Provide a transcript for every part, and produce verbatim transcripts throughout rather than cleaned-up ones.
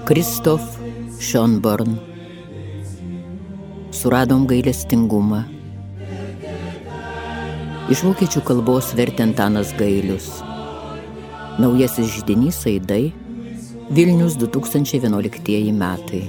Kristof Schönborn. Suradom gailestingumą. Iš vokiečių kalbos vertė Antanas Gailius. Naujasis židinys Aidai, Vilnius du tūkstančiai vienuoliktieji metai.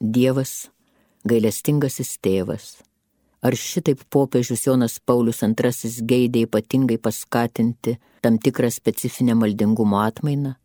Dievas, gailestingasis tėvas. Ar šitaip popiežius Jonas Paulius antrasis geidė ypatingai paskatinti tam tikrą specifinę maldingumo atmainą?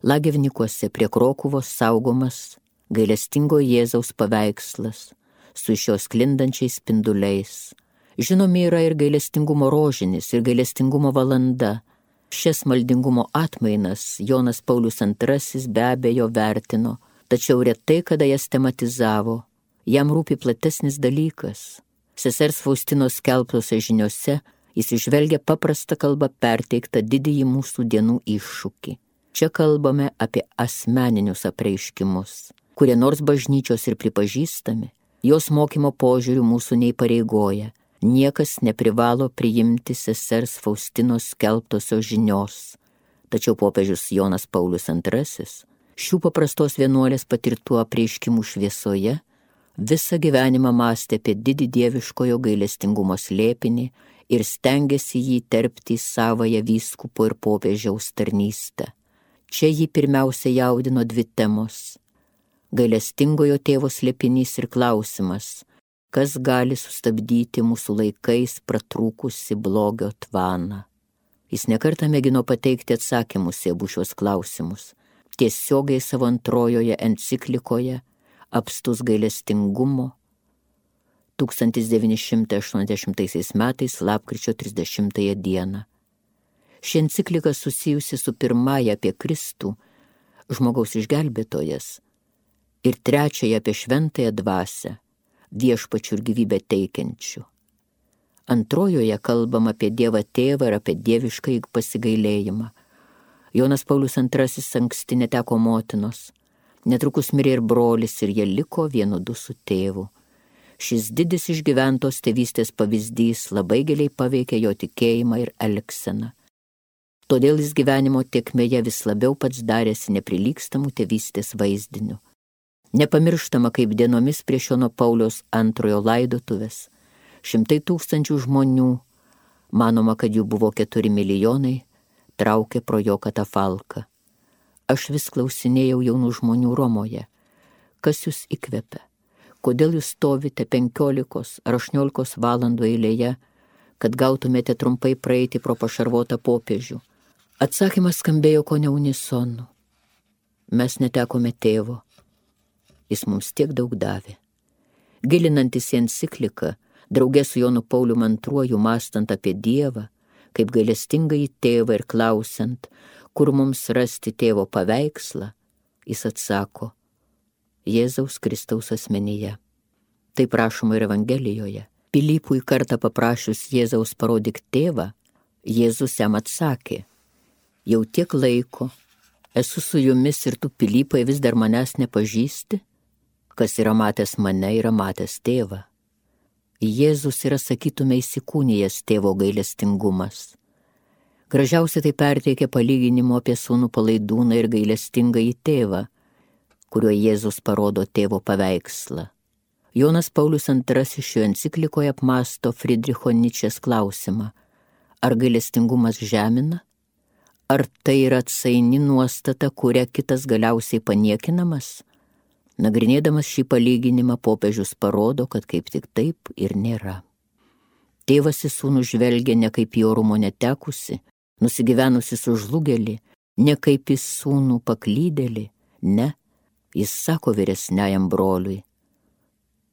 Lagevnikuose prie Krokuvos saugomas gailestingo Jėzaus paveikslas su iš jo sklindančiais spinduliais. Žinomi yra ir gailestingumo rožinis, ir gailestingumo valanda. Šias maldingumo atmainas Jonas Paulius antrasis be abejo vertino, tačiau retai kada jas tematizavo. Jam rūpi platesnis dalykas. Sesers Faustinos skelbtose žiniose jis išvelgia paprastą kalbą perteiktą didįjį mūsų dienų iššūkį. Čia kalbame apie asmeninius apreiškimus, kurie nors bažnyčios ir pripažįstami, jos mokymo požiūrių mūsų neįpareigoja. Niekas neprivalo priimti sesers Faustinos skelbtosios žinios. Tačiau popiežius Jonas Paulius antrasis šių paprastos vienuolės patirtų apreiškimų šviesoje visą gyvenimą mąstė apie didį dieviškojo gailestingumo slėpinį ir stengėsi jį terpti į savąją vyskupo ir popiežiaus tarnystę. Čia jį pirmiausia jaudino dvi temos – gailestingojo tėvo slėpinys ir klausimas, kas gali sustabdyti mūsų laikais pratrūkusi blogio tvaną. Jis nekartą mėgino pateikti atsakymus į abu šios klausimus. Tiesiogiai savo antrojoje enciklikoje Apstus gailestingumo tūkstantis devyni šimtai aštuoniasdešimtaisiais metais lapkričio trisdešimtąją dieną. Ši enciklika susijusi su pirmąja apie Kristų, žmogaus išgelbėtojas, ir trečiąja apie šventąją dvasią, viešpačių ir gyvybę teikiančių. Antrojoje kalbama apie Dievą tėvą ir apie dievišką pasigailėjimą. Jonas Paulius antrasis anksti neteko motinos. Netrukus mirė ir brolis, ir jie liko vienodu su tėvu. Šis didis išgyventos tėvystės pavyzdys labai giliai paveikė jo tikėjimą ir elgseną. Todėl jis gyvenimo tėkmėje vis labiau pats darėsi neprilygstamų tėvystės vaizdiniu. Nepamirštama, kaip dienomis prieš Jono Pauliaus antrojo laidotuvės, šimtai tūkstančių žmonių, manoma, kad jų buvo keturi milijonai, traukė pro jo katafalką. Aš vis klausinėjau jaunų žmonių Romoje, kas jūs įkvepia, kodėl jūs stovite penkiolikos ar aštuoniolikos valandų eilėje, kad gautumėte trumpai praeiti pro pašarvotą popiežių. Atsakymas skambėjo kone unisonu. Mes netekome tėvo, jis mums tiek daug davė. Gilinantis į encikliką, drauge su Jonu Pauliumi antruoju mąstant apie Dievą, kaip gailestingąjį tėvą ir klausiant, kur mums rasti tėvo paveikslą, jis atsako, Jėzaus Kristaus asmenyje. Tai prašoma ir Evangelijoje. Pilypui kartą paprašius Jėzaus parodyk tėvą, Jėzus jam atsakė, jau tiek laiko, esu su jumis ir tu, Pilypai, vis dar manęs nepažįsti, kas yra matęs mane, yra matęs tėvą. Jėzus yra, sakytume, įsikūnijęs tėvo gailestingumas. Gražiausiai tai perteikia palyginimo apie sūnų palaidūną ir gailestingąjį tėvą, kuriuo Jėzus parodo tėvo paveikslą. Jonas Paulius antrasis šio enciklikoje apmąsto Friedricho Ničės klausimą, ar gailestingumas žemina, ar tai yra atsaini nuostata, kuria kitas galiausiai paniekinamas? Nagrinėdamas šį palyginimą, popiežius parodo, kad kaip tik taip ir nėra. Tėvas į sūnų žvelgia ne kaip į orumo netekusi, nusigyvenusi sužlugelį, ne kaip į sūnų paklydėlį, ne, jis sako vyresniajam broliui,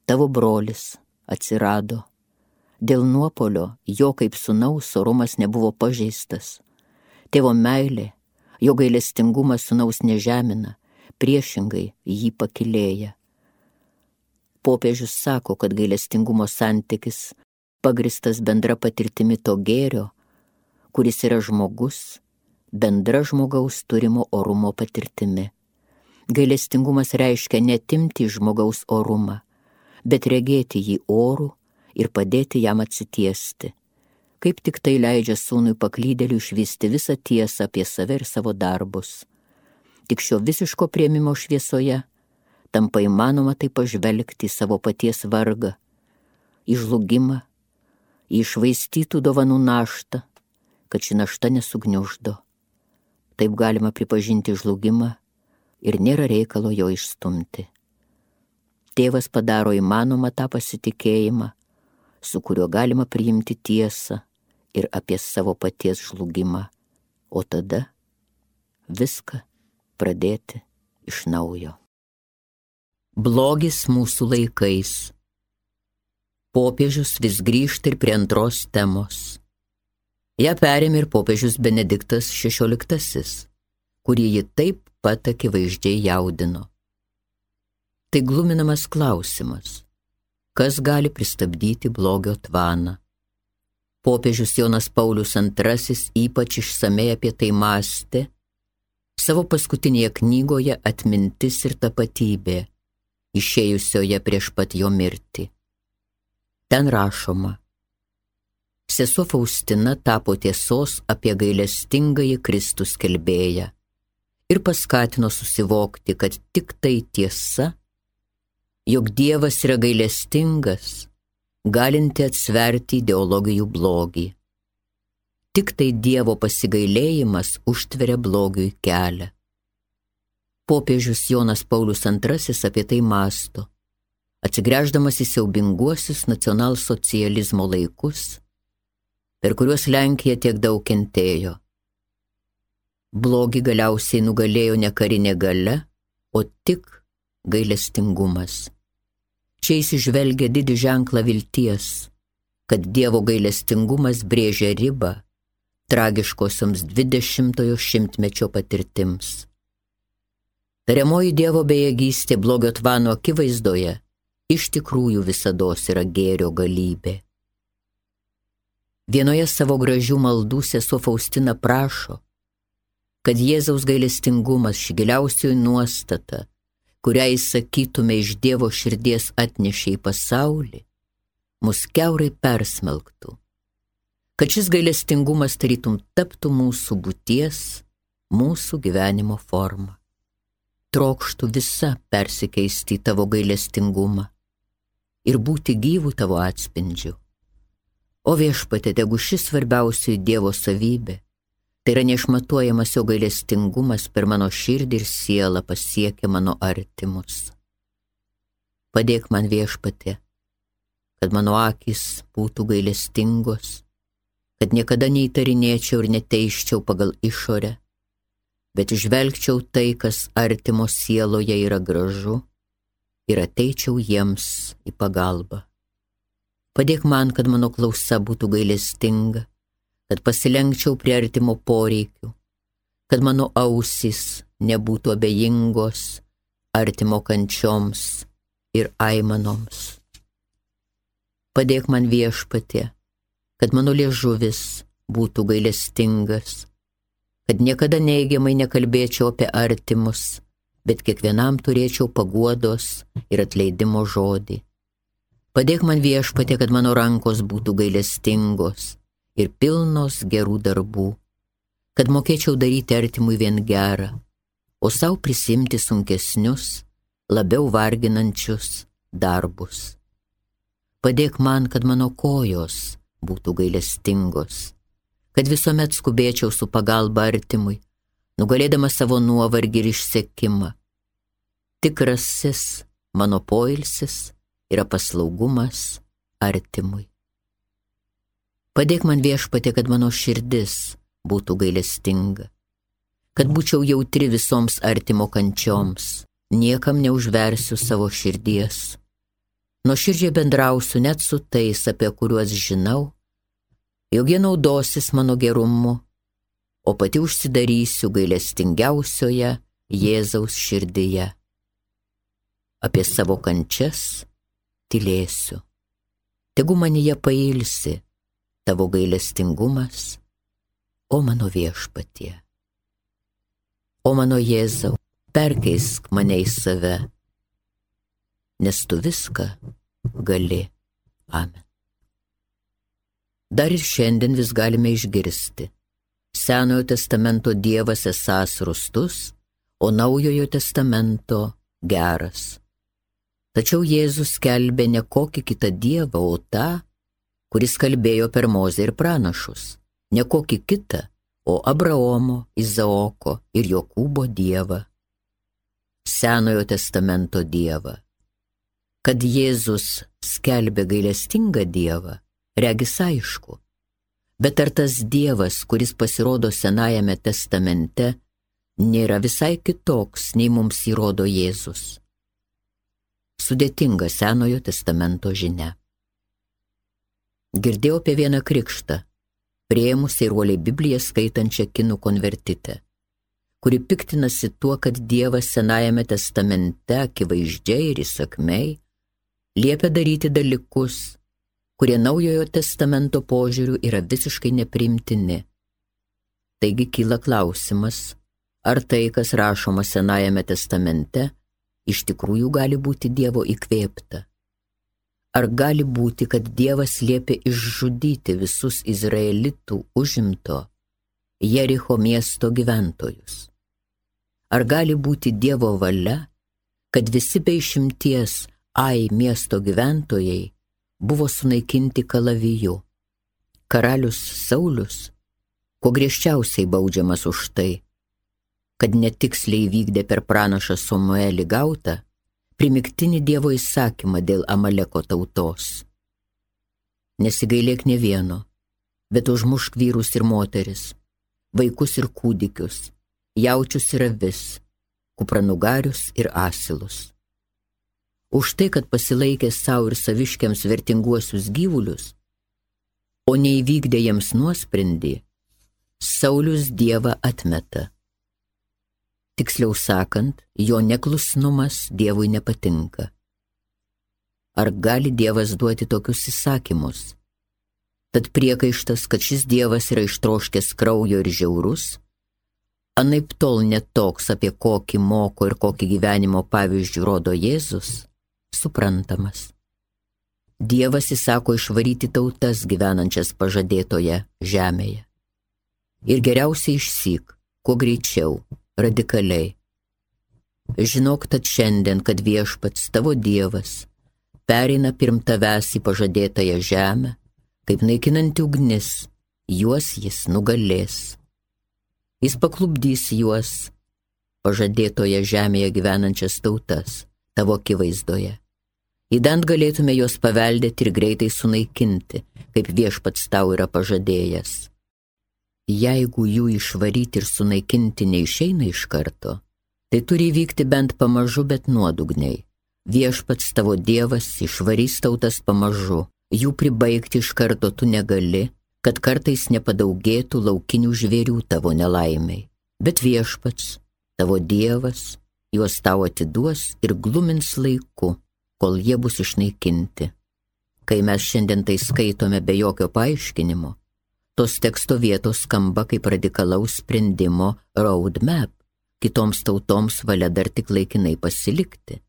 tavo brolis atsirado, Dėl nuopolio jo kaip sūnaus orumas nebuvo pažeistas. Tėvo meilė, jo gailestingumas sūnaus nežemina, priešingai jį pakilėja. Popiežius sako, kad gailestingumo santykis pagristas bendra patirtimi to gėrio, kuris yra žmogus, bendra žmogaus turimo orumo patirtimi. Gailestingumas reiškia netimti žmogaus orumą, bet regėti jį orų ir padėti jam atsitiesti. Kaip tik tai leidžia sūnui paklydėliui išvysti visą tiesą apie save ir savo darbus. Tik šio visiško priėmimo šviesoje tampa įmanoma tai pažvelgti į savo paties vargą, į žlugimą, į išvaistytų dovanų naštą, kad ši našta nesugniuždo. Taip galima pripažinti žlugimą ir nėra reikalo jo išstumti. Tėvas padaro įmanomą tą pasitikėjimą, su kuriuo galima priimti tiesą ir apie savo paties žlugimą, o tada viską pradėti iš naujo. Blogis mūsų laikais. Popiežius vis grįžta ir prie antros temos. Ja perėmė ir popiežius Benediktas šešioliktasis, kurį ji taip pat akivaizdžiai jaudino. Tai gluminamas klausimas. Kas gali pristabdyti blogio tvaną? Popiežius Jonas Paulius antrasis ypač išsamei apie tai mąstė savo paskutinėje knygoje Atmintis ir tapatybė, išėjusioje prieš pat jo mirtį. Ten rašoma: sesuo Faustina tapo tiesos apie gailestingąjį Kristų skelbėją ir paskatino susivokti, kad tik tai tiesa, jog Dievas yra gailestingas, galinti atsverti ideologijų blogį. Tik tai Dievo pasigailėjimas užtveria blogiui kelią. Popiežius Jonas Paulius antrasis apie tai mąsto, atsigręždamas į siaubinguosius nacionalsocializmo laikus, per kuriuos Lenkija tiek daug kentėjo. Blogį galiausiai nugalėjo ne karinė galia, o tik gailestingumas. Čia įsižvelgia didį ženklą vilties, kad Dievo gailestingumas brėžia ribą tragiškosioms dvidešimtojo šimtmečio patirtims. Tariamoji Dievo bejėgystė blogio tvano akivaizdoje iš tikrųjų visados yra gėrio galybė. Vienoje savo gražių maldų sesuo Faustina prašo, kad Jėzaus gailestingumas, ši giliausioji nuostata, kurią įsakytume iš Dievo širdies atnešė į pasaulį, mus kiaurai persmelktų, kad šis gailestingumas tarytum taptų mūsų būties, mūsų gyvenimo forma. Trokštų visa persikeisti į tavo gailestingumą ir būti gyvų tavo atspindžiu. O Viešpatie, tegu šis svarbiausioji Dievo savybė, tai yra neišmatuojamas jo gailestingumas per mano širdį ir sielą pasiekia mano artimus. Padėk man, Viešpatie, kad mano akys būtų gailestingos, kad niekada neįtarinėčiau ir neteiščiau pagal išorę, bet išvelgčiau tai, kas artimo sieloje yra gražu, ir ateičiau jiems į pagalbą. Padėk man, kad mano klausa būtų gailestinga, kad pasilenkčiau prie artimo poreikių, kad mano ausys nebūtų abejingos artimo kančioms ir aimanoms. Padėk man, Viešpatie, kad mano liežuvis būtų gailestingas, kad niekada neigiamai nekalbėčiau apie artimus, bet kiekvienam turėčiau paguodos ir atleidimo žodį. Padėk man, Viešpatie, kad mano rankos būtų gailestingos ir pilnos gerų darbų, kad mokėčiau daryti artimui vien gerą, o savo prisimti sunkesnius, labiau varginančius darbus. Padėk man, kad mano kojos būtų gailestingos, kad visuomet skubėčiau su pagalba artimui, nugalėdama savo nuovargį ir išsekimą. Tikrasis mano poilsis yra paslaugumas artimui. Padėk man, Viešpatie, kad mano širdis būtų gailestinga, kad būčiau jautri visoms artimo kančioms, niekam neužversiu savo širdies, nuoširdžiai bendrausiu net su tais, apie kuriuos žinau, jog jie naudosis mano gerumu, o pati užsidarysiu gailestingiausioje Jėzaus širdyje. Apie savo kančias tylėsiu. Tegu manyje pailsi tavo gailestingumas, o mano Viešpatie. O mano Jėzau, perkeisk mane į save, nes tu viską gali. Amen. Dar ir šiandien vis galime išgirsti. Senojo testamento Dievas esąs rūstus, o Naujojo testamento geras. Tačiau Jėzus skelbė ne kokį kitą Dievą, o tą, kuris kalbėjo per Mozę ir pranašus. Ne kokį kitą, o Abraomo, Izaoko ir Jokūbo Dievą. Senojo testamento Dievą. Kad Jėzus skelbė gailestingą Dievą, regis aišku. Bet ar tas Dievas, kuris pasirodo Senajame testamente, nėra visai kitoks, nei mums įrodo Jėzus? Sudėtinga Senojo testamento žinia. Girdėjau apie vieną krikštą, priėmusiai ruoliai Bibliją skaitančią kinų konvertitę, kuri piktinasi tuo, kad Dievas Senajame testamente akivaizdžiai ir įsakmiai liepia daryti dalykus, kurie Naujojo testamento požiūriu yra visiškai nepriimtini. Taigi kyla klausimas, ar tai, kas rašoma Senajame testamente, iš tikrųjų gali būti Dievo įkvėpta? Ar gali būti, kad Dievas liepė išžudyti visus izraelitų užimto Jericho miesto gyventojus? Ar gali būti Dievo valia, kad visi be išimties Ai miesto gyventojai buvo sunaikinti kalaviju? Karalius Saulius, kuo griežčiausiai baudžiamas už tai, kad netiksliai vykdė per pranašą Samuelį gautą primygtinį Dievo įsakymą dėl Amaleko tautos. Nesigailėk ne vieno, bet užmušk vyrus ir moteris, vaikus ir kūdikius, jaučius ir avis, kupranugarius ir asilus. Už tai, kad pasilaikė savo ir saviškiams vertinguosius gyvulius, o neįvykdė jiems nuosprendį, Saulius Dievą atmeta. Tiksliau sakant, jo neklusnumas Dievui nepatinka. Ar gali Dievas duoti tokius įsakymus? Tad priekaištas, kad šis Dievas yra ištroškęs kraujo ir žiaurus, anaip tol netoks, apie kokį moko ir kokį gyvenimo pavyzdžių rodo Jėzus, suprantamas. Dievas įsako išvaryti tautas gyvenančias pažadėtoje žemėje. Ir geriausiai išsyk, kuo greičiau, radikaliai. Žinok tad šiandien, kad Viešpats tavo Dievas pereina pirm tavęs į pažadėtąją žemę, kaip naikinanti ugnis, juos jis nugalės. Jis paklupdys juos, pažadėtoje žemėje gyvenančias tautas, tavo akivaizdoje. Įdant galėtume juos paveldėti ir greitai sunaikinti, kaip Viešpats tau yra pažadėjęs. Jeigu jų išvaryti ir sunaikinti neišeina iš karto, tai turi įvykti bent pamažu, bet nuodugniai. Viešpats tavo Dievas išvarys tautas pamažu, jų pribaigti iš karto tu negali, kad kartais nepadaugėtų laukinių žvėrių tavo nelaimiai. Bet Viešpats, tavo Dievas, juos tau atiduos ir glumins laiku, kol jie bus išnaikinti. Kai mes šiandien tai skaitome be jokio paaiškinimo, tos teksto vietos skamba kaip radikalaus sprendimo roadmap, kitoms tautoms valia dar tik laikinai pasilikti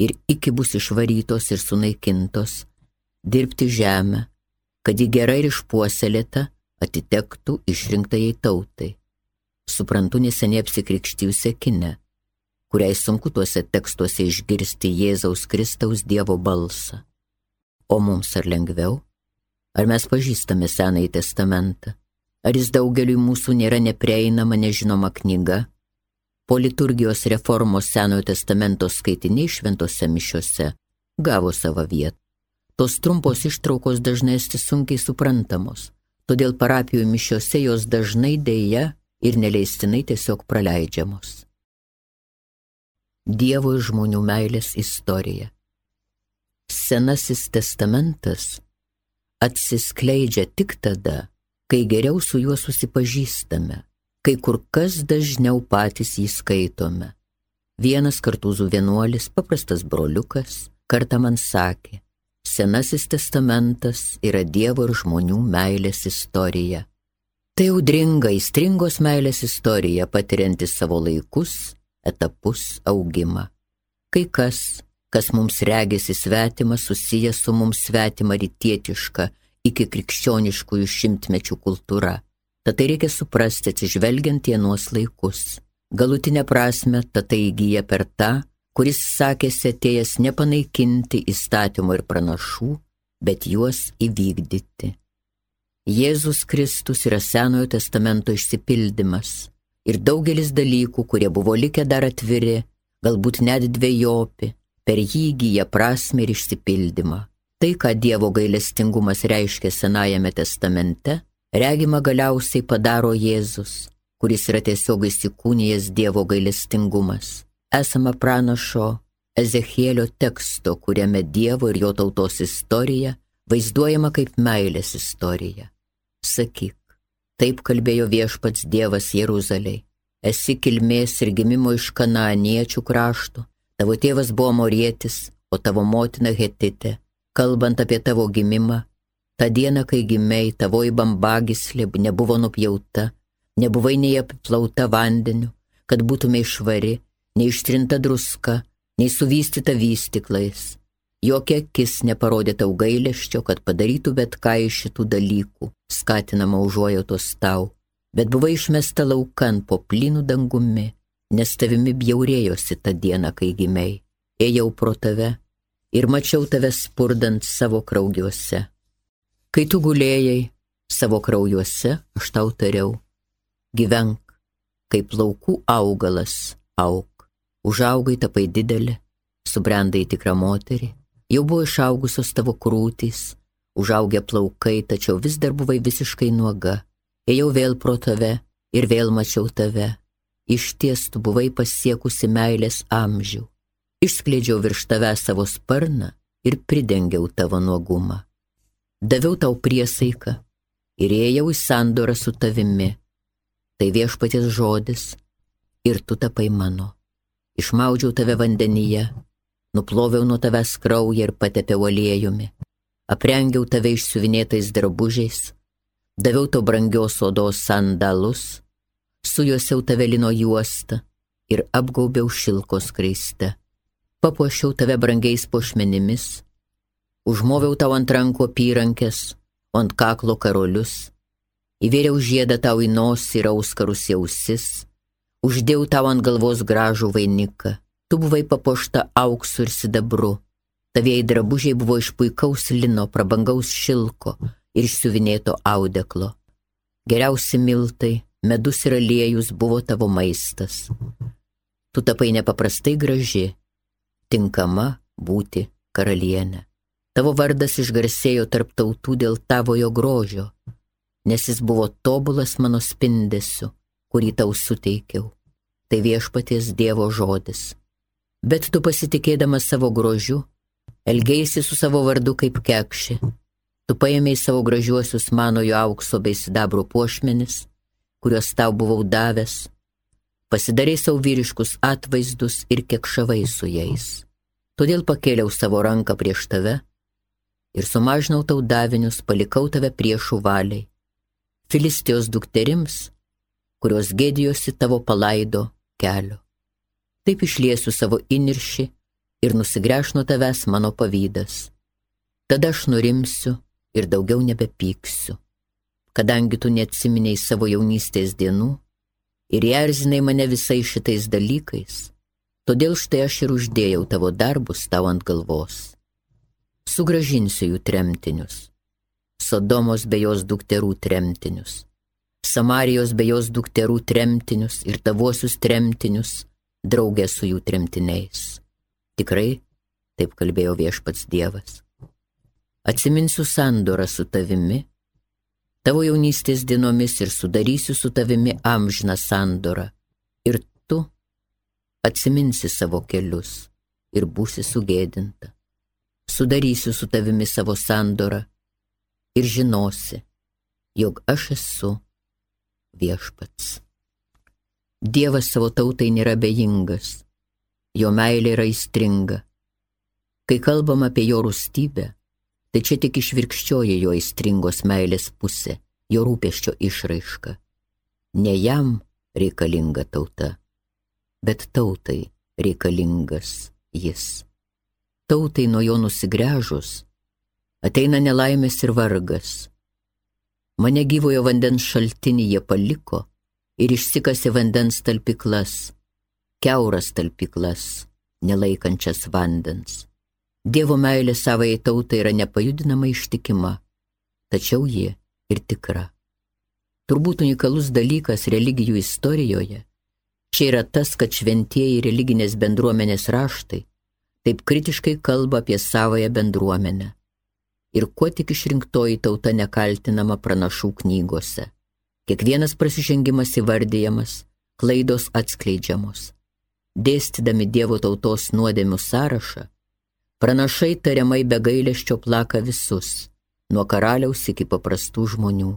ir iki bus išvarytos ir sunaikintos, dirbti žemę, kad ji gerai ir išpuoselėta atitektų išrinktajai tautai. Suprantu neseniai apsikrikštijusią kinę, kuriai sunku tuose tekstuose išgirsti Jėzaus Kristaus Dievo balsą. O mums ar lengviau? Ar mes pažįstame Senąjį testamentą? Ar jis daugeliui mūsų nėra neprieinama, nežinoma knyga? Po liturgijos reformos Senojo testamento skaitiniai šventose mišiose gavo savo vietą. Tos trumpos ištraukos dažnai esti sunkiai suprantamos, todėl parapijų mišiose jos dažnai deja ir neleistinai tiesiog praleidžiamos. Dievo ir žmonių meilės istorija. Senasis testamentas atsiskleidžia tik tada, kai geriau su juo susipažįstame, kai kur kas dažniau patys jį skaitome. Vienas Kartūzų vienuolis, paprastas broliukas, kartą man sakė, Senasis testamentas yra Dievo ir žmonių meilės istorija. Tai audringa, aistringos meilės istorija, patirianti savo laikus, etapus, augimą. Kai kas, kas mums regėsi svetima, susijęs su mums svetima rytietiška iki krikščioniškųjų šimtmečių kultūra. Tad tai reikia suprasti atsižvelgiant į anuos laikus. Galutinę prasme, tad tai įgyja per tą, kuris sakėsi atėjęs nepanaikinti įstatymų ir pranašų, bet juos įvykdyti. Jėzus Kristus yra Senojo testamento išsipildymas ir daugelis dalykų, kurie buvo likę dar atviri, galbūt net dvejopi, per jį įgyja prasmę ir išsipildymą. Tai, ką Dievo gailestingumas reiškia Senajame testamente, regima galiausiai padaro Jėzus, kuris yra tiesiog įsikūnijęs Dievo gailestingumas. Esama pranašo Ezechielio teksto, kuriame Dievo ir jo tautos istorija vaizduojama kaip meilės istorija. Sakyk, taip kalbėjo viešpats Dievas Jeruzalei. Esi kilmės ir gimimo iš kanaaniečių krašto, tavo tėvas buvo morietis, o tavo motina hetitė. Kalbant apie tavo gimimą, tą dieną, kai gimei, tavoji bambagyslė nebuvo nupjauta, nebuvai nei apiplauta vandeniu, kad būtumei švari, nei ištrinta druska, nei suvystyta vystyklais. Jokia akis neparodė tau gailesčio, kad padarytų bet ką iš šitų dalykų, skatinama užuojautos tau, bet buvai išmesta laukan po plynų dangumi, nes tavimi bjaurėjosi tą dieną, kai gimei. Ėjau pro tave ir mačiau tave spurdant savo kraujuose. Kai tu gulėjai savo kraujuose, aš tau tariau, gyvenk, kaip laukų augalas, auk. Užaugai, tapai didelė, subrendai tikrą moterį, jau buvo išaugusios tavo krūtys, užaugę plaukai, tačiau vis dar buvai visiškai nuoga. Ėjau vėl pro tave ir vėl mačiau tave. Išties tu buvai pasiekusi meilės amžių. Išskleidžiau virš tave savo sparną ir pridengiau tavo nuogumą. Daviau tau priesaiką ir ėjau į sandorą su tavimi. Tai viešpaties žodis ir tu tapai mano. Išmaudžiau tave vandenyje, nuploviau nuo tavęs kraują ir patepiau aliejumi. Aprengiau tave išsiuvinėtais drabužiais, daviau tau brangios odos sandalus, sujosiau tave lino juostą ir apgaubiau šilkos skraiste. Papuošiau tave brangiais puošmenimis, užmoviau tau ant rankų apyrankes, o ant kaklo karolius, įvėriau žiedą tau į nosį ir auskarus į ausis, uždėjau tau ant galvos gražų vainiką, tu buvai papuošta auksu ir sidabru, tavieji drabužiai buvo iš puikaus lino, prabangaus šilko ir išsiuvinėto audeklo. Geriausi miltai, medus ir aliejus buvo tavo maistas. Tu tapai nepaprastai graži, tinkama būti karalienė. Tavo vardas išgarsėjo tarp tautų dėl tavojo grožio, nes jis buvo tobulas mano spindesiu, kurį tau suteikiau. Tai viešpaties Dievo žodis. Bet tu pasitikėdamas savo grožiu, elgeisi su savo vardu kaip kekši. Tu paėmei savo gražiuosius manojo aukso bei sidabro puošmenis, kuriuos tau buvau davęs, pasidarei savo vyriškus atvaizdus ir kekšavai su jais. Todėl pakėliau savo ranką prieš tave ir sumažinau tau davinius, palikau tave priešų valiai. Filistijos dukterims, kurios gėdijosi tavo palaido kelio. Taip išliesiu savo įniršį ir nusigręš nuo tavęs mano pavydas. Tada aš nurimsiu ir daugiau nebepyksiu, kadangi tu neatsiminiai savo jaunystės dienų ir erzinai mane visais šitais dalykais, todėl štai aš ir uždėjau tavo darbus tau ant galvos. Sugrąžinsiu jų tremtinius, Sodomos bei jos dukterų tremtinius, Samarijos bei jos dukterų tremtinius ir tavuosius tremtinius, draugė su jų tremtiniais. Tikrai, taip kalbėjo viešpats Dievas. Atsiminsiu sandorą su tavimi, tavo jaunystės dienomis ir sudarysiu su tavimi amžiną sandorą. Ir tu atsiminsi savo kelius ir būsi sugėdinta. sudarysiu su tavimi savo sandorą ir žinosi, jog aš esu viešpats. Dievas savo tautai nėra bejingas, jo meilė yra aistringa. Kai kalbam apie jo rūstybę, tai čia tik išvirkščioji jo aistringos meilės pusė, jo rūpesčio išraiška. Ne jam reikalinga tauta, bet tautai reikalingas jis. Tautai nuo jo nusigręžus ateina nelaimės ir vargas. Mane gyvojo vandens šaltinį jie paliko ir išsikasė vandens talpyklas, kiauras talpyklas, nelaikančias vandens. Dievo meilė savai tautai yra nepajudinama ištikima, tačiau ji ir tikra. Turbūt unikalus dalykas religijų istorijoje čia yra tas, kad šventieji religinės bendruomenės raštai taip kritiškai kalba apie savąją bendruomenę. Ir kuo tik išrinktoji tauta nekaltinama pranašų knygose. Kiekvienas prasižengimas įvardyjamas, klaidos atskleidžiamos. Dėstydami Dievo tautos nuodėmių sąrašą, pranašai tariamai be gailesčio plaka visus, nuo karaliaus iki paprastų žmonių.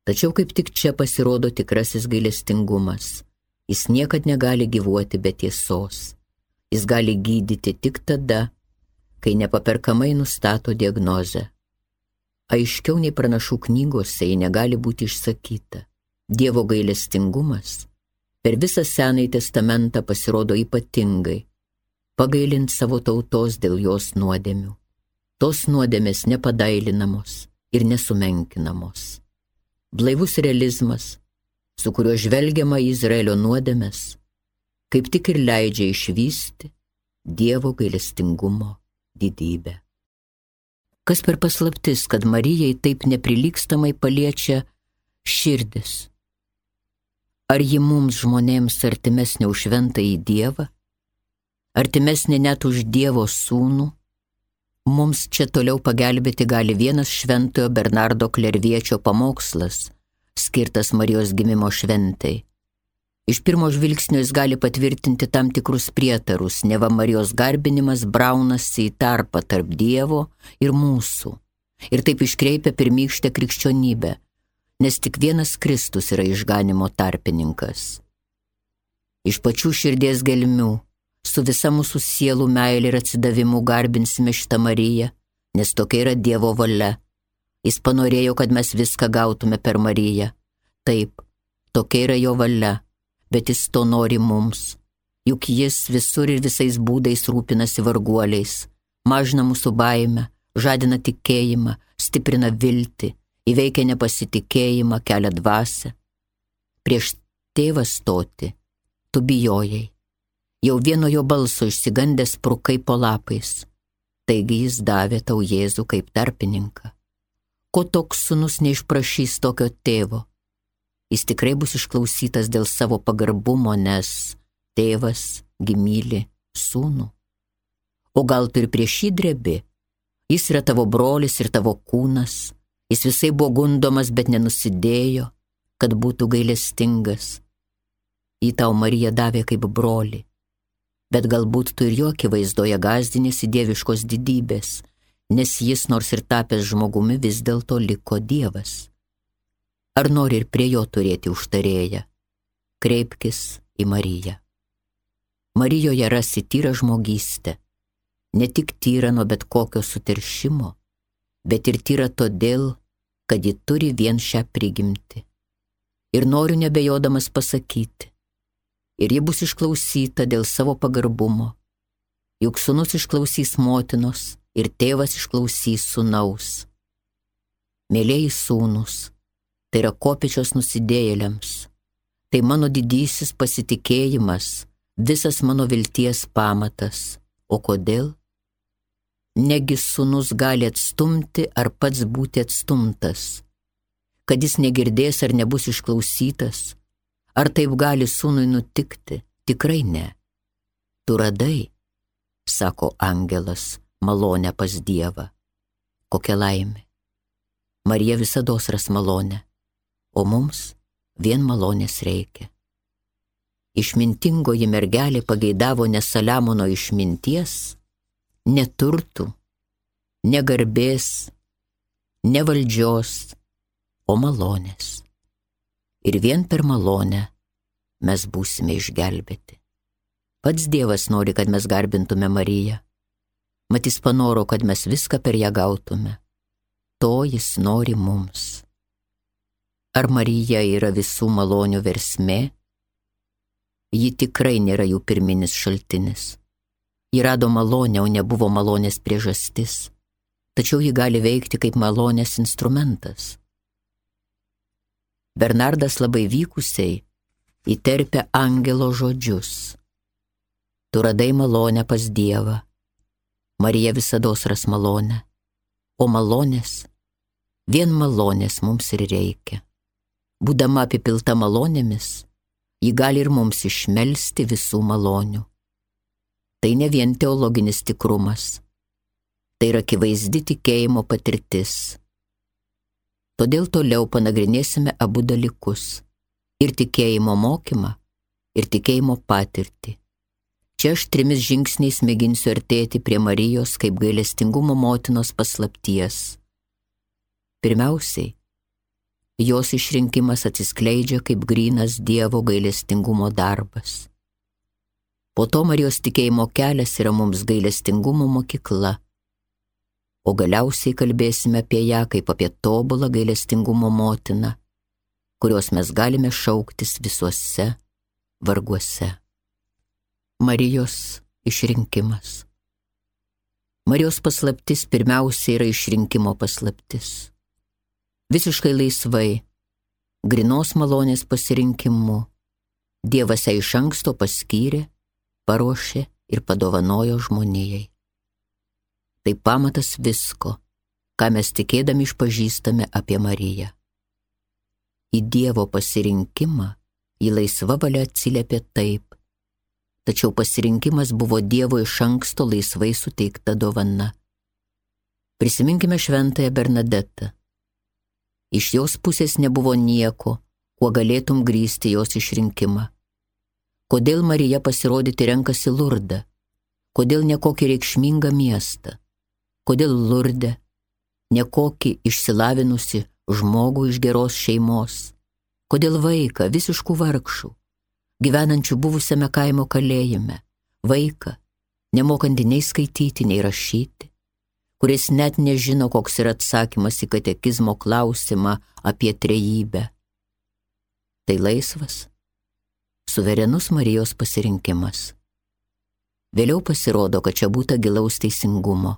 Tačiau kaip tik čia pasirodo tikrasis gailestingumas. Jis niekad negali gyvuoti be tiesos. Jis gali gydyti tik tada, kai nepaperkamai nustato diagnozę. Aiškiau nei pranašų knygose ji negali būti išsakyta. Dievo gailestingumas per visą Senąjį testamentą pasirodo ypatingai, pagailint savo tautos dėl jos nuodėmių. Tos nuodėmės nepadailinamos ir nesumenkinamos. Blaivus realizmas, su kuriuo žvelgiama į Izraelio nuodėmes, kaip tik ir leidžia išvysti Dievo gailestingumo didybę. Kas per paslaptis, kad Marijai taip neprilygstamai paliečia širdis? Ar ji mums žmonėms artimesnė už šventąjį Dievą? Artimesnė net už Dievo sūnų? Mums čia toliau pagelbėti gali vienas šventojo Bernardo Klerviečio pamokslas, skirtas Marijos gimimo šventai. Iš pirmo žvilgsnio jis gali patvirtinti tam tikrus prietarus, neva Marijos garbinimas braunasi į tarpą tarp Dievo ir mūsų, ir taip iškreipia pirmykštę krikščionybę, nes tik vienas Kristus yra išganimo tarpininkas. Iš pačių širdies gelmių, su visa mūsų sielų meilė ir atsidavimu garbinsime šitą Mariją, nes tokia yra Dievo valia. Jis panorėjo, kad mes viską gautume per Mariją. Taip, tokia yra jo valia, bet jis to nori mums. Juk jis visur ir visais būdais rūpinasi varguoliais, mažina mūsų baimę, žadina tikėjimą, stiprina viltį, įveikia nepasitikėjimą, kelia dvasią. Prieš tėvą stoti tu bijojai. Jau vieno jo balso išsigandęs sprukai po lapais. Taigi jis davė tau Jėzų kaip tarpininką. Ko toks sūnus neišprašys tokio tėvo? Jis tikrai bus išklausytas dėl savo pagarbumo, nes tėvas gi myli sūnų. O gal tu ir prieš jį drebi? Jis yra tavo brolis ir tavo kūnas. Jis visai buvo gundomas, bet nenusidėjo, kad būtų gailestingas. Jį tau Marija davė kaip brolį. Bet galbūt tu ir jo akivaizdoje gąsdinėsi dieviškos didybės, nes jis nors ir tapęs žmogumi vis dėlto liko Dievas. Ar nori ir prie jo turėti užtarėją? Kreipkis į Mariją. Marijoje rasi tyrą žmogystę, ne tik tyrą nuo bet kokio suteršimo, bet ir tyrą todėl, kad ji turi vien šią prigimtį. Ir noriu nebejodamas pasakyti, ir ji bus išklausyta dėl savo pagarbumo. Juk sūnus išklausys motinos ir tėvas išklausys sūnaus. Mėlieji sūnus, tai yra kopėčios nusidėjėliams. Tai mano didysis pasitikėjimas, visas mano vilties pamatas. O kodėl? Negi sūnus gali atstumti ar pats būti atstumtas, kad jis negirdės ar nebus išklausytas. Ar taip gali sūnui nutikti? Tikrai ne. Tu radai, sako angelas, malonę pas Dievą. Kokia laimė. Marija visados ras malonę, o mums vien malonės reikia. Išmintingoji mergelė pageidavo ne Saliamono išminties, ne turtų, ne garbės, ne valdžios, o malonės. Ir vien per malonę mes būsime išgelbėti. Pats Dievas nori, kad mes garbintume Mariją. Mat jis panoro, kad mes viską per ją gautume. To jis nori mums. Ar Marija yra visų malonių versmė? Ji tikrai nėra jų pirminis šaltinis. Ji rado malonę, o nebuvo malonės priežastis. Tačiau ji gali veikti kaip malonės instrumentas. Bernardas labai vykusiai įterpia angelo žodžius. Tu radai malonę pas Dievą. Marija visados ras malonę. O malonės, vien malonės mums ir reikia. Būdama apipilta malonėmis, ji gali ir mums išmelsti visų malonių. Tai ne vien teologinis tikrumas. Tai yra akivaizdi tikėjimo patirtis. Todėl toliau panagrinėsime abu dalykus. Ir tikėjimo mokymą, ir tikėjimo patirtį. Čia aš trimis žingsniais mėginsiu artėti prie Marijos kaip gailestingumo motinos paslapties. Pirmiausiai, jos išrinkimas atsiskleidžia kaip grynas Dievo gailestingumo darbas. Po to Marijos tikėjimo kelias yra mums gailestingumo mokykla, o galiausiai kalbėsime apie ją kaip apie tobulą gailestingumo motiną, kurios mes galime šauktis visuose varguose. Marijos išrinkimas. Marijos paslaptis pirmiausia yra išrinkimo paslaptis. Visiškai laisvai, grynos malonės pasirinkimu, Dievas ją iš anksto paskyrė, paruošė ir padovanojo žmonijai. Tai pamatas visko, ką mes tikėdami išpažįstame apie Mariją. Į Dievo pasirinkimą ji laisva valia atsiliepė taip, tačiau pasirinkimas buvo Dievo iš anksto laisvai suteikta dovana. Prisiminkime šventąją Bernadetą. Iš jos pusės nebuvo nieko, kuo galėtum grįsti jos išrinkimą. Kodėl Marija pasirodyti renkasi Lurdą? Kodėl ne kokį reikšmingą miestą? Kodėl Lurde? Ne kokį išsilavinusi žmogų iš geros šeimos? Kodėl vaiką visiškų vargšų, gyvenančių buvusiame kaimo kalėjime, vaiką, nemokantį nei skaityti, nei rašyti, kuris net nežino, koks yra atsakymas į katekizmo klausimą apie trejybę? Tai laisvas, suverenus Marijos pasirinkimas. Vėliau pasirodo, kad čia būta gilaus teisingumo.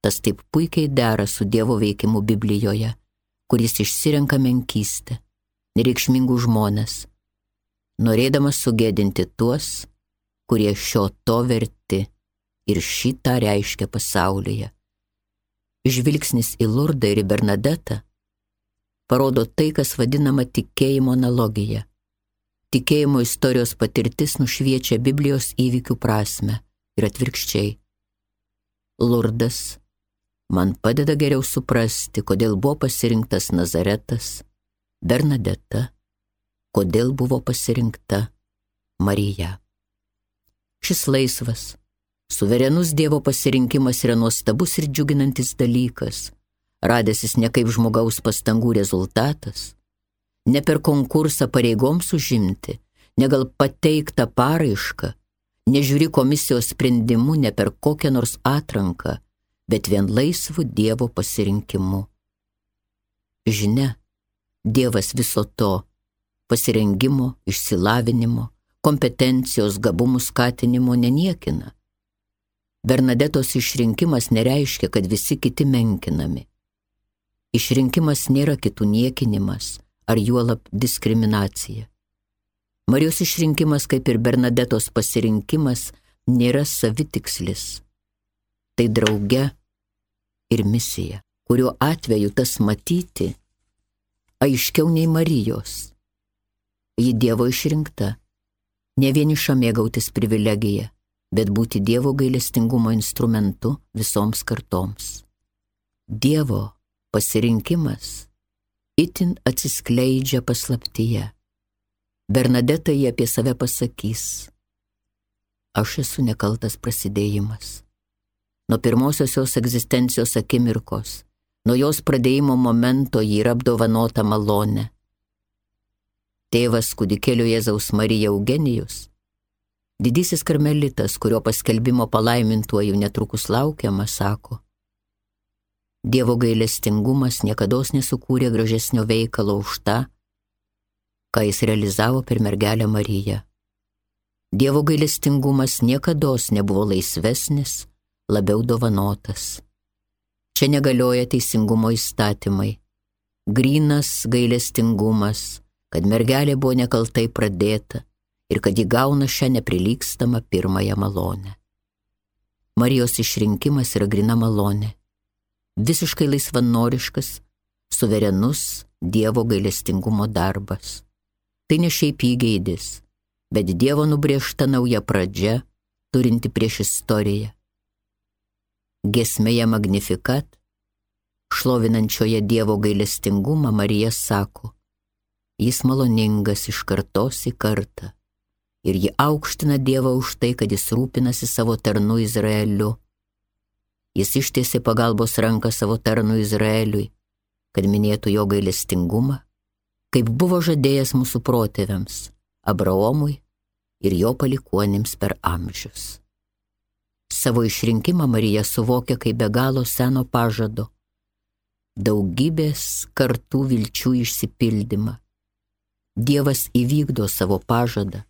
Tas taip puikiai dera su Dievo veikimu Biblijoje, kuris išsirenka menkystę, nereikšmingų žmones, norėdamas sugėdinti tuos, kurie šio to verti ir šitą reiškia pasaulyje. Žvilgsnis į Lurdą ir į Bernadetą parodo tai, kas vadinama tikėjimo analogija. Tikėjimo istorijos patirtis nušviečia Biblijos įvykių prasmę ir atvirkščiai. Lurdas man padeda geriau suprasti, kodėl buvo pasirinktas Nazaretas, Bernadeta, kodėl buvo pasirinkta Marija. Šis laisvas, suverenus Dievo pasirinkimas yra nuostabus ir džiuginantis dalykas, radęsis ne kaip žmogaus pastangų rezultatas, ne per konkursą pareigoms užimti, ne gal pateiktą paraišką, nežiūri komisijos sprendimu, ne per kokią nors atranką, bet vien laisvų Dievo pasirinkimu. Žinia, Dievas viso to pasirengimo, išsilavinimo, kompetencijos, gabumų skatinimo neniekina. Bernadetos išrinkimas nereiškia, kad visi kiti menkinami. Išrinkimas nėra kitų niekinimas ar juolab diskriminacija. Marijos išrinkimas, kaip ir Bernadetos pasirinkimas, nėra savitikslis. Tai drauge ir misija, kurio atveju tas matyti aiškiau nei Marijos. Ji Dievo išrinkta, ne vieniša mėgautis privilegiją, bet būti Dievo gailestingumo instrumentu visoms kartoms. Dievo pasirinkimas itin atsiskleidžia paslaptyje. Bernadeta jį apie save pasakys: aš esu nekaltas prasidėjimas. Nuo pirmosios jos egzistencijos akimirkos, nuo jos pradėjimo momento ji yra apdovanota malone. Tėvas kūdikėlio Jėzaus Marija Eugenijus, didysis karmelitas, kurio paskelbimo palaimintuoju netrukus laukiama, sako: Dievo gailestingumas niekados nesukūrė gražesnio veikalo už tą, ką jis realizavo per mergelę Mariją. Dievo gailestingumas niekados nebuvo laisvesnis, labiau dovanotas. Čia negalioja teisingumo įstatymai. Grynas gailestingumas, kad mergelė buvo nekaltai pradėta ir kad ji gauna šią neprilygstamą pirmąją malonę. Marijos išrinkimas yra gryna malonė, visiškai laisvanoriškas, suverenus Dievo gailestingumo darbas. Tai ne šiaip įgeidis, bet Dievo nubrėžta nauja pradžia, turinti prieš istoriją. Giesmėje Magnificat, šlovinančioje Dievo gailestingumą, Marija sako: Jis maloningas iš kartos į kartą. Ir ji aukština Dievą už tai, kad jis rūpinasi savo tarnu Izraeliu. Jis ištiesė pagalbos ranką savo tarnu Izraeliui, kad minėtų jo gailestingumą, kaip buvo žadėjęs mūsų protėviams, Abraomui ir jo palikuonims per amžius. Savo išrinkimą Marija suvokia kaip be galo seno pažado, daugybės kartų vilčių išsipildymą. Dievas įvykdo savo pažadą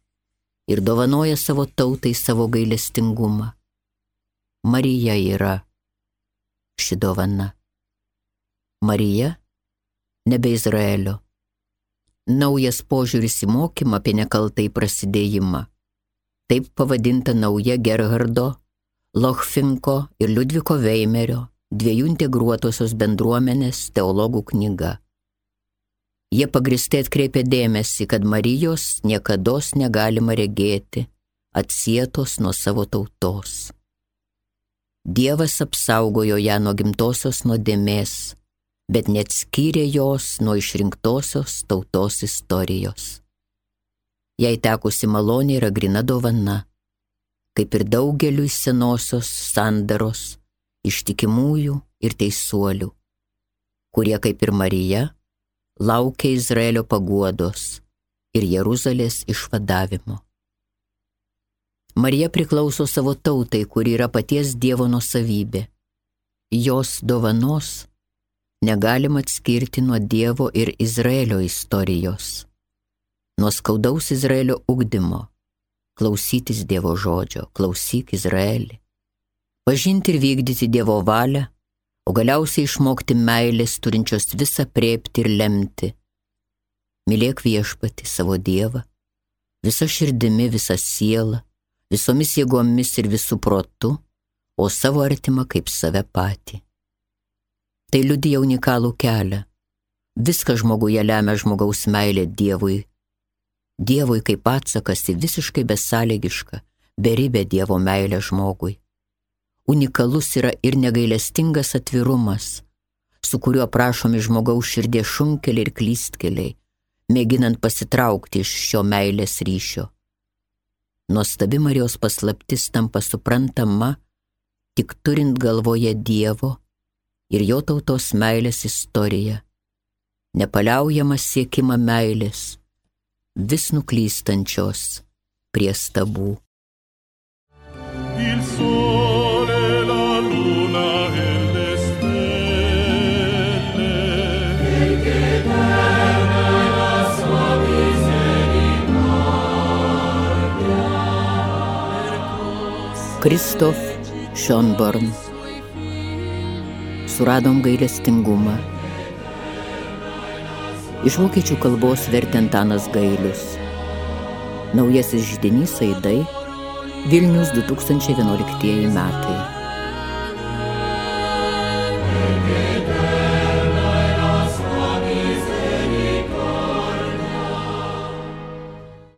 ir dovanoja savo tautai savo gailestingumą. Marija yra ši dovana. Marija nebe Izraelio. Naujas požiūris į mokymą apie nekaltai prasidėjimą. Taip pavadinta nauja Gerhardo, Lochfinko ir Liudviko Veimerio, dviejų integruotosios bendruomenės teologų knyga. Jie pagristai atkreipia dėmesį, kad Marijos niekados negalima regėti, atsietos nuo savo tautos. Dievas apsaugojo ją nuo gimtosios nuodėmės, bet neatskyrė jos nuo išrinktosios tautos istorijos. Jai tekusi malonė yra gryna dovana, kaip ir daugeliui senosios sandaros, ištikimųjų ir teisuolių, kurie kaip ir Marija laukia Izraelio paguodos ir Jeruzalės išvadavimo. Marija priklauso savo tautai, kuri yra paties Dievo nuosavybė. Jos dovanos negalima atskirti nuo Dievo ir Izraelio istorijos, nuo skaudaus Izraelio ugdymo, klausytis Dievo žodžio, klausyk Izraelį, pažinti ir vykdyti Dievo valią, o galiausiai išmokti meilės, turinčios visą aprėpti ir lemti. Mylėk Viešpatį savo Dievą, visa širdimi, visa siela, visomis jėgomis ir visų protu, o savo artimą kaip save patį. Tai liudija unikalų kelią. Viską žmoguje lemia žmogaus meilė Dievui. Dievui kaip atsakas į visiškai besąlygišką, beribę Dievo meilę žmogui. Unikalus yra ir negailestingas atvirumas, su kuriuo prašomi žmogaus širdies šunkeliai ir klystkeliai, mėginant pasitraukti iš šio meilės ryšio. Nuostabi Marijos paslaptis tampa suprantama, tik turint galvoje Dievo ir jo tautos meilės istoriją, nepaliaujamą siekimą meilės, vis nuklystančios prie stabų. Il sole, la luna e le stelle, perché eterna è la sua misericordia. Kristof Schönborn. Suradom gailestingumą. Iš vokiečių kalbos vertė Antanas Gailius. Naujasis židinys Aidai, Vilnius du tūkstančiai vienuoliktieji metai.